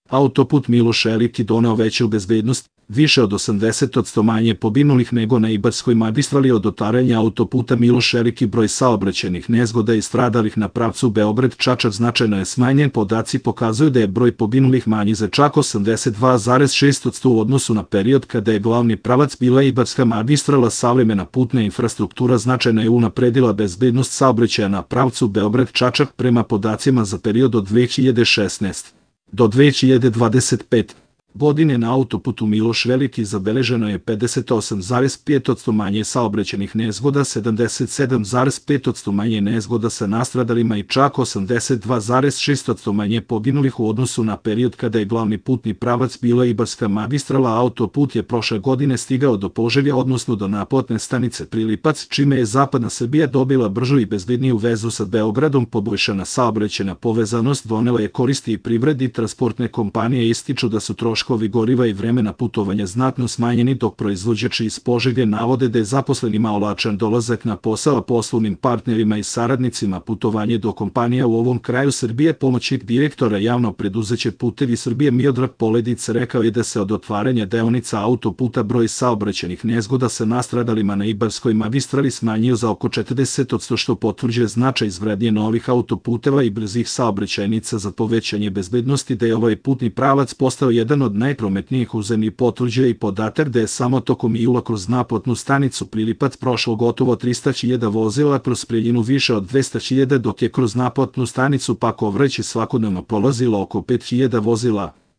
Autoput Miloš Veliki doneo veću bezbednost, više od 80% manje poginulih nego na Ibarskoj magistrali od otvaranja autoputa Miloš Veliki. Broj saobraćajnih nezgoda i stradalih na pravcu Beograd-Čačak značajno je smanjen. Podaci pokazuju da je broj poginulih manji za čak 82,6% u odnosu na period kada je glavni pravac bila Ibarska magistrala. Savremena putna infrastruktura značajno je unapredila bezbednost saobraćaja na pravcu Beograd-Čačak. Prema podacima za period od 2016. do 2025. godine na autoputu Miloš Veliki zabeleženo je 58,5% manje saobraćajnih nezgoda, 77,5% manje nezgoda sa nastradalima i čak 82,6% manje poginulih u odnosu na period kada je glavni putni pravac bila Ibarska magistrala. Autoput je prošle godine stigao do Požege, odnosno do naplatne stanice Prilipac, čime je zapadna Srbija dobila bržu i bezbedniju vezu sa Beogradom. Poboljšana saobraćajna povezanost donela je koristi i privredi. Transportne kompanije ističu da su troškovi goriva i vremena putovanja znatno smanjeni, dok proizvođači iz Požege navode da je zaposlenima olakšan dolazak na posao, a poslovnim partnerima i saradnicima putovanje do kompanija u ovom kraju Srbije. Pomoćnik direktora javnog preduzeća Putevi Srbije Miodrag Poledica rekao je da se od otvaranja deonica autoputa broj saobraćajnih nezgoda sa nastradalima na Ibarskoj magistrali smanjio za oko 40%, što potvrđuje značaj izgradnje novih autoputeva i brzih saobraćajnica za povećanje bezbednosti. Da je ovaj putni pravac postao jedan od najprometnijih u zemlji potvrđuje i podatak da je samo tokom jula kroz naplatnu stanicu Prilipac prošlo gotovo 300.000 vozila, kroz Preljinu više od 200.000, dok je kroz naplatnu stanicu Pakovraće svakodnevno prolazilo oko 5.000 vozila.